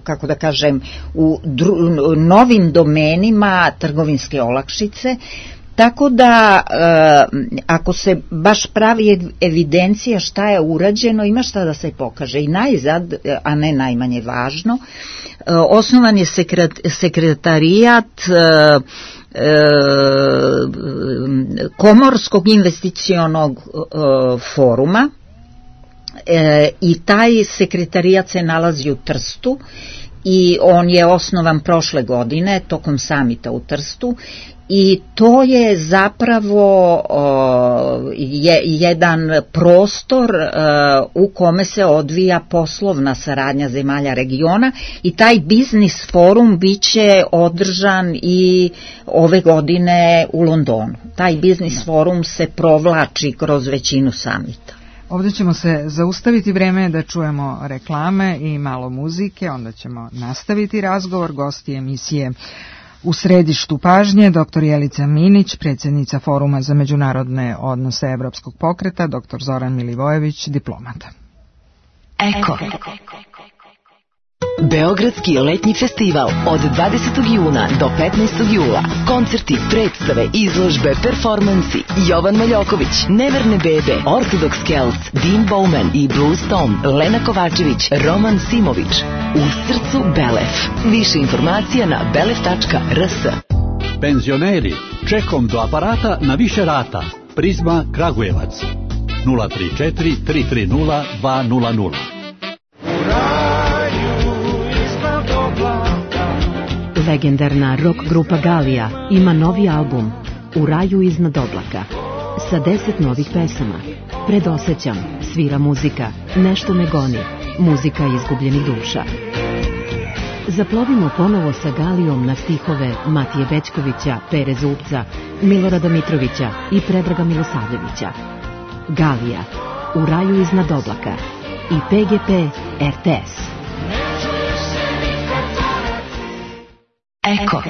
kako da kažem u dru, novim domenima trgovinske olakšice. Tako da, e, ako se baš pravi evidencija šta je urađeno, ima šta da se pokaže. I najzad, a ne najmanje važno, e, osnovan je sekret, sekretarijat e, e, Komorskog investicionog e, foruma e, i taj sekretarijat se nalazi u Trstu i on je osnovan prošle godine tokom samita u Trstu. I to je zapravo uh, je, jedan prostor uh, u kome se odvija poslovna saradnja zemalja regiona i taj biznis forum biće održan i ove godine u Londonu. Taj biznis forum se provlači kroz većinu samita. Ovdje ćemo se zaustaviti, vreme da čujemo reklame i malo muzike, onda ćemo nastaviti razgovor. Gosti emisije U središtu pažnje doktor Jelica Minić, predsjednica Foruma za međunarodne odnose Evropskog pokreta, doktor Zoran Milivojević, diplomata. Eko. Beogradski letnji festival od dvadesetog juna do petnaestog jula. Koncerti, predstave, izložbe, performansi. Jovan Maljoković, Neverne bebe, Orthodox Celts, Dean Bowman i Blues Tom, Lena Kovačević, Roman Simović. U srcu Belef. Više informacija na belef tačka r s. Penzioneri, čekom do aparata na više rata. Prizma Kragujevac. nula tri četiri tri tri nula dva nula nula. Legendarna rock grupa Galija ima novi album U raju iznad oblaka sa deset novih pesama. Predosećam, svira muzika, nešto me goni, muzika izgubljenih duša. Zaplovimo ponovo sa Galijom na stihove Matije Bećkovića, Pere Zupca, Milorada Mitrovića i Predraga Milosavljevića. Galija, U raju iznad oblaka i P G P R T S. Eko.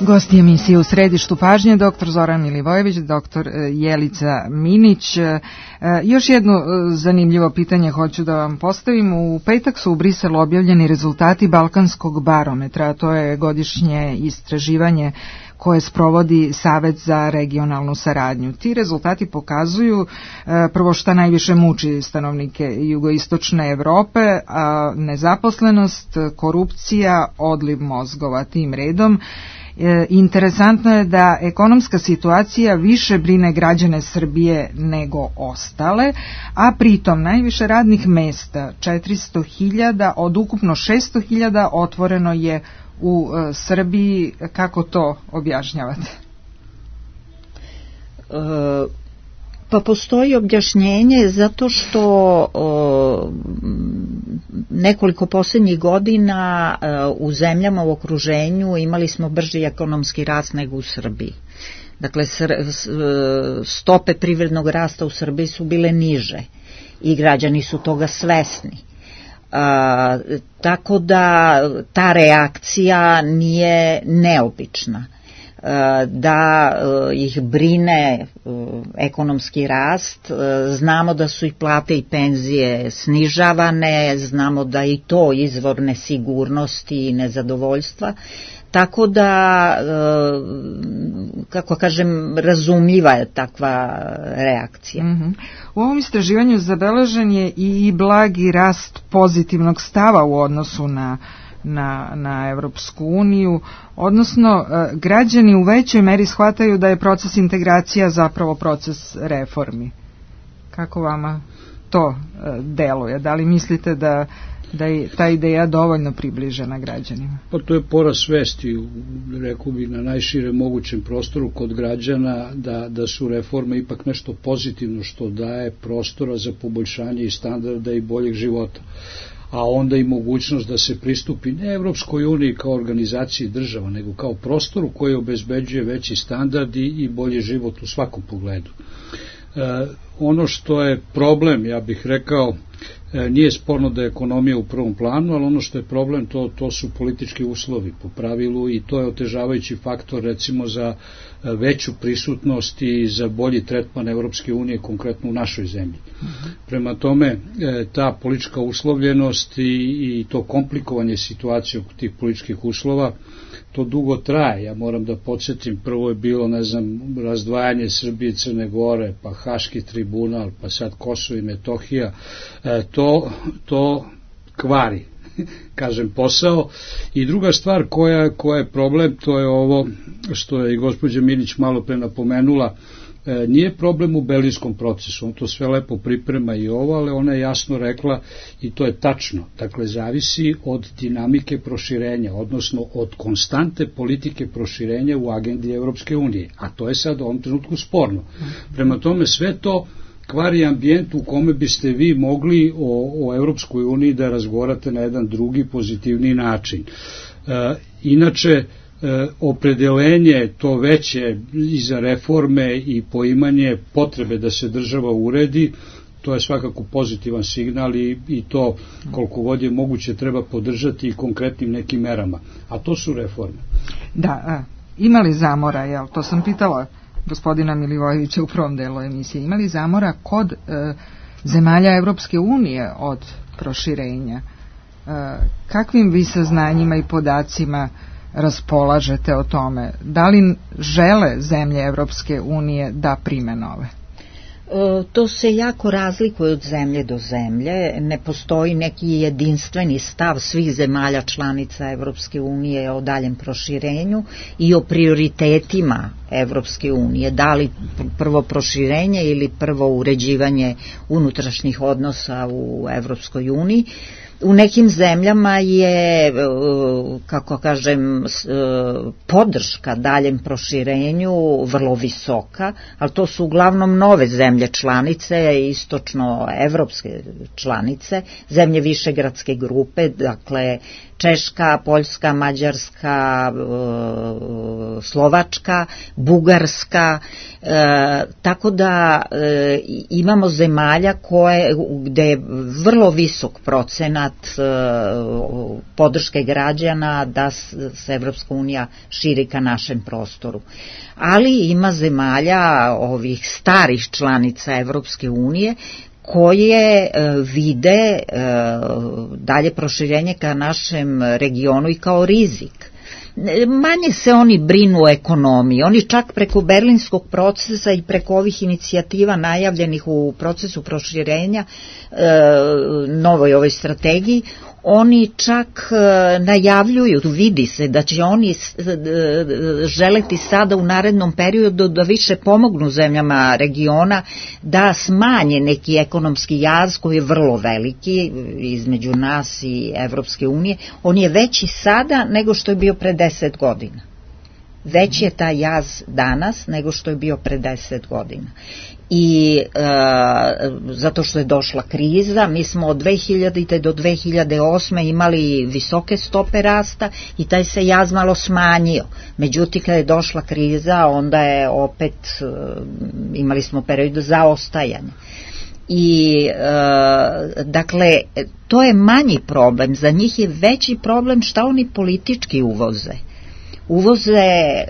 Gosti emisije U središtu pažnje, doktor Zoran Milivojević, doktor Jelica Minić. Još jedno zanimljivo pitanje hoću da vam postavim. U petak su u Briselu objavljeni rezultati Balkanskog barometra, a to je godišnje istraživanje koje sprovodi Savet za regionalnu saradnju. Ti rezultati pokazuju prvo šta najviše muči stanovnike jugoistočne Evrope, a nezaposlenost, korupcija, odliv mozgova tim redom. Interesantno je da ekonomska situacija više brine građane Srbije nego ostale, a pritom najviše radnih mesta, četiristo hiljada od ukupno šesto hiljada, otvoreno je u Srbiji. Kako to objašnjavate? E, pa postoji objašnjenje zato što o, nekoliko posljednjih godina o, u zemljama u okruženju imali smo brži ekonomski rast nego u Srbiji. Dakle, stope privrednog rasta u Srbiji su bile niže i građani su toga svesni. A, tako da ta reakcija nije neobična. Da ih brine ekonomski rast, znamo da su i plate i penzije snižavane, znamo da i to izvor nesigurnosti i nezadovoljstva, tako da, kako kažem, razumljiva je takva reakcija. Mm-hmm. U ovom istraživanju zabeležen je i blagi rast pozitivnog stava u odnosu na Na, na Evropsku uniju, odnosno građani u većoj meri shvataju da je proces integracija zapravo proces reformi. Kako vama to deluje? Da li mislite da, da je ta ideja dovoljno približena građanima? Pa to je porast svesti, rekao bih, na najšire mogućem prostoru kod građana da, da su reforme ipak nešto pozitivno što daje prostora za poboljšanje i standarda i boljeg života, a onda i mogućnost da se pristupi ne Evropskoj uniji kao organizaciji država, nego kao prostoru koji obezbeđuje veći standard i bolji život u svakom pogledu. E, ono što je problem, ja bih rekao, e, nije sporno da je ekonomija u prvom planu, ali ono što je problem, to, to su politički uslovi po pravilu i to je otežavajući faktor recimo za veću prisutnost i za bolji tretman Evropske unije, konkretno u našoj zemlji. Uh-huh. Prema tome, ta politička uslovljenost i, i to komplikovanje situacije oko tih političkih uslova, to dugo traje. Ja moram da podsjetim, prvo je bilo, ne znam, razdvajanje Srbije i Crne Gore, pa Haški tribunal, pa sad Kosovo i Metohija. E, to, to kvari, kažem, posao. I druga stvar koja, koja je problem, to je ovo što je i gospođa Milić malo pre napomenula, e, nije problem u Berlinskom procesu, on to sve lepo priprema i ovo, ali ona je jasno rekla i to je tačno, dakle zavisi od dinamike proširenja, odnosno od konstante politike proširenja u agendi Evropske unije, a to je sad u ovom trenutku sporno. Prema tome sve to kvari ambijent u kome biste vi mogli o, o Evropskoj uniji da razgovarate na jedan drugi pozitivni način. E, inače, e, opredelenje to veće i za reforme i poimanje potrebe da se država uredi, to je svakako pozitivan signal i, i to koliko god je moguće treba podržati i konkretnim nekim merama. A to su reforme. Da, a, ima li zamora, jel? To sam pitala gospodina Milivojevića u prvom delu emisije. Ima li zamora kod e, zemalja Evropske unije od proširenja? E, kakvim vi saznanjima i podacima raspolažete o tome? Da li žele zemlje Evropske unije da prime nove? To se jako razlikuje od zemlje do zemlje, ne postoji neki jedinstveni stav svih zemalja članica Evropske unije o daljem proširenju i o prioritetima Evropske unije, da li prvo proširenje ili prvo uređivanje unutrašnjih odnosa u Evropskoj uniji. U nekim zemljama je, kako kažem, podrška daljem proširenju vrlo visoka, ali to su uglavnom nove zemlje članice, istočno-evropske članice, zemlje višegradske grupe, dakle Češka, Poljska, Mađarska, Slovačka, Bugarska, e, tako da e, imamo zemalja koje, gde je vrlo visok procenat e, podrške građana da se Evropska unija širi ka našem prostoru. Ali ima zemalja ovih starih članica Evropske unije koje e, vide e, dalje proširenje ka našem regionu i kao rizik. manje se oni brinu o ekonomiji. Oni čak preko berlinskog procesa i preko ovih inicijativa najavljenih u procesu proširenja, novoj ovoj strategiji, oni čak najavljuju, vidi se da će oni želeti sada u narednom periodu da više pomognu zemljama regiona da smanje neki ekonomski jaz koji je vrlo veliki između nas i Evropske unije. On je veći sada nego što je bio pre deset godina. Veći je taj jaz danas nego što je bio pre deset godina. I e, zato što je došla kriza, mi smo od dve hiljadite do dve hiljade osme imali visoke stope rasta i taj se jaz malo smanjio. Međutim, kada je došla kriza, onda je opet, e, imali smo period zaostajanja. I e, dakle, to je manji problem, za njih je veći problem šta oni politički uvoze. Uvoze e,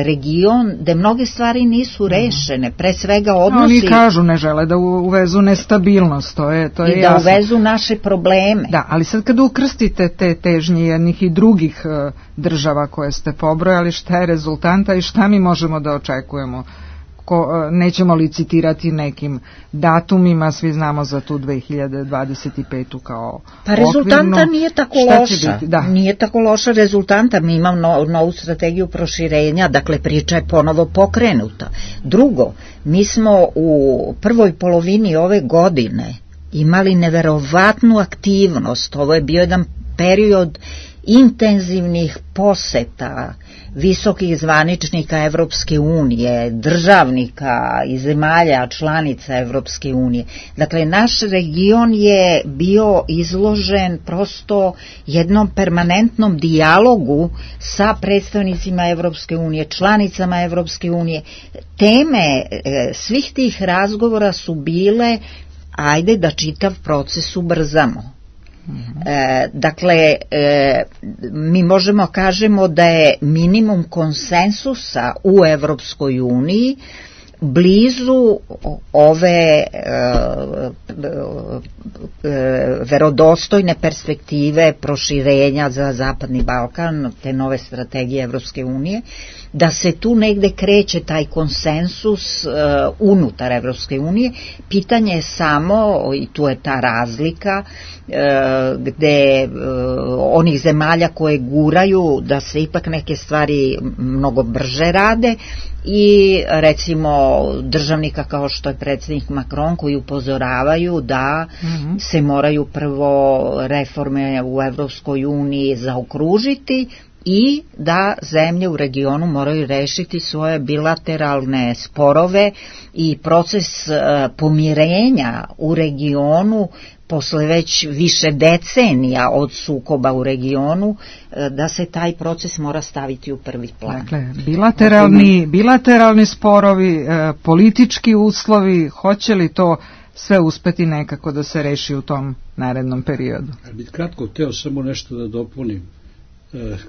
region gde mnoge stvari nisu rešene, pre svega odnosi... Oni kažu ne žele da uvezu nestabilnost, to je, to je i jasno. da uvezu naše probleme. Da, ali sad kada ukrstite te težnje jednih i drugih e, država koje ste pobrojali, šta je rezultanta i šta mi možemo da očekujemo? Ko, nećemo licitirati nekim datumima, svi znamo za tu dve hiljade dvadeset petu kao pa rezultanta okvirnu. Nije tako Šta loša, da. nije tako loša rezultanta, mi imamo no, novu strategiju proširenja, dakle priča je ponovo pokrenuta. Drugo, mi smo u prvoj polovini ove godine imali neverovatnu aktivnost, ovo je bio jedan period intenzivnih poseta visokih zvaničnika Evropske unije, državnika i zemalja članica Evropske unije. Dakle, naš region je bio izložen prosto jednom permanentnom dijalogu sa predstavnicima Evropske unije, članicama Evropske unije. Teme e, svih tih razgovora su bile ajde da čitav proces ubrzamo. E, dakle, e, mi možemo kažemo da je minimum konsensusa u Evropskoj uniji blizu ove e, e, verodostojne perspektive proširenja za Zapadni Balkan, te nove strategije Evropske unije, da se tu negde kreće taj konsensus e, unutar Evropske unije. Pitanje je samo, i tu je ta razlika, e, gde e, onih zemalja koje guraju da se ipak neke stvari mnogo brže rade i recimo državnika kao što je predsjednik Macron koji upozoravaju da mm-hmm. se moraju prvo reforme u Evropskoj uniji zaokružiti i da zemlje u regionu moraju rešiti svoje bilateralne sporove i proces uh, pomirenja u regionu posle već više decenija od sukoba u regionu, uh, da se taj proces mora staviti u prvi plan. Dakle, bilateralni, bilateralni sporovi, uh, politički uslovi, hoće li to sve uspeti nekako da se reši u tom narednom periodu? Ja bih kratko hteo samo nešto da dopunim.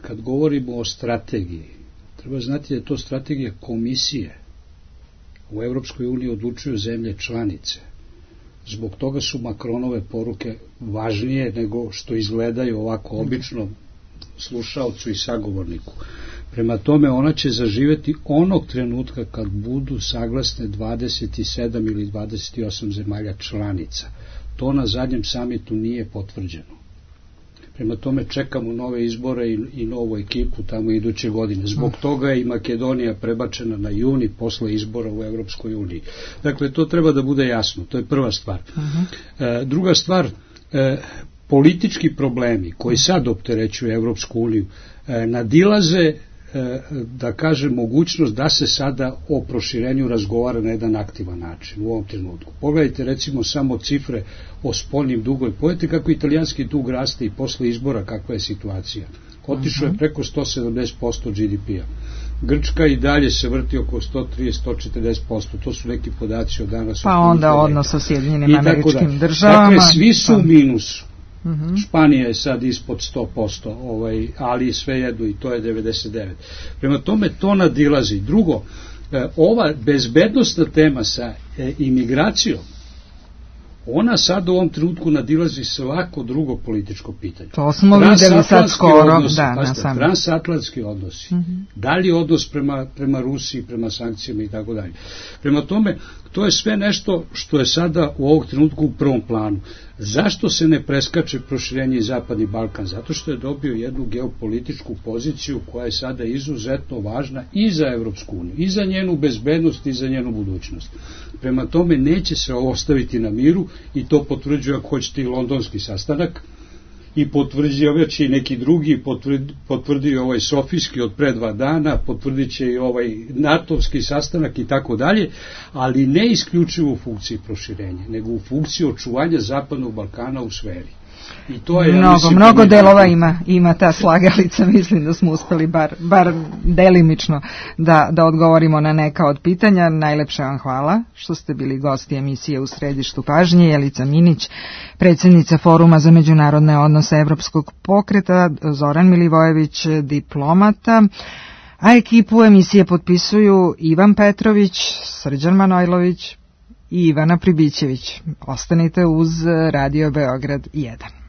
Kad govorimo o strategiji, treba znati da je to strategija komisije. U Evropskoj uniji odlučuju zemlje članice. Zbog toga su Macronove poruke važnije nego što izgledaju ovako obično slušaocu i sagovorniku. Prema tome ona će zaživeti onog trenutka kad budu saglasne dvadeset sedam ili dvadeset osam zemalja članica. To na zadnjem samitu nije potvrđeno. Prema tome čekamo nove izbore i, i novu ekipu tamo iduće godine. Zbog toga je i Makedonija prebačena na juni posle izbora u Evropskoj uniji. Dakle, to treba da bude jasno. To je prva stvar. Uh-huh. E, druga stvar, e, politički problemi koji sad opterećuju Evropsku uniju e, nadilaze da kaže mogućnost da se sada o proširenju razgovara na jedan aktivan način u ovom trenutku. Pogledajte recimo samo cifre o spoljnim dugovima. Pogledajte kako italijanski dug raste i posle izbora kakva je situacija. Otišao je preko sto sedamdeset posto G D P-a. Grčka i dalje se vrti oko sto trideset do sto četrdeset posto. To su neki podaci od danas. Pa onda odnos sa Sjedinjenim Američkim državama. Dakle, svi su u minusu. Uh-huh. Španija je sad ispod sto posto, ovaj, ali sve jedu i to je devedeset devet. Prema tome to nadilazi. Drugo, ova bezbednostna tema sa e, imigracijom, ona sad u ovom trenutku nadilazi svako drugo političko pitanje. To smo videli sad skoro. Odnosi, da, pasite, na transatlantski odnosi. Mm-hmm. Da li odnos prema, prema Rusiji, prema sankcijama i tako dalje. Prema tome, to je sve nešto što je sada u ovog trenutku u prvom planu. Zašto se ne preskače proširenje i Zapadni Balkan? Zato što je dobio jednu geopolitičku poziciju koja je sada izuzetno važna i za Evropsku uniju, i za njenu bezbednost i za njenu budućnost. Prema tome neće se ovo ostaviti na miru i to potvrđuje ako hoćete i londonski sastanak i potvrđuje već i neki drugi, potvrdio ovaj Sofijski od pre dva dana, potvrdit će i ovaj natovski sastanak i tako dalje, ali ne isključivo u funkciji proširenja, nego u funkciji očuvanja Zapadnog Balkana u sferi. I to je, mnogo, ja mislim, mnogo delova ima, ima ta slagalica, mislim da smo uspeli bar, bar delimično da, da odgovorimo na neka od pitanja. Najlepša vam hvala što ste bili gosti emisije U središtu pažnje. Jelica Minić, predsjednica Foruma za međunarodne odnose Evropskog pokreta, Zoran Milivojević, diplomata, a ekipu emisije potpisuju Ivan Petrović, Srđan Manojlović i Ivana Pribićević. Ostanite uz Radio Beograd jedan.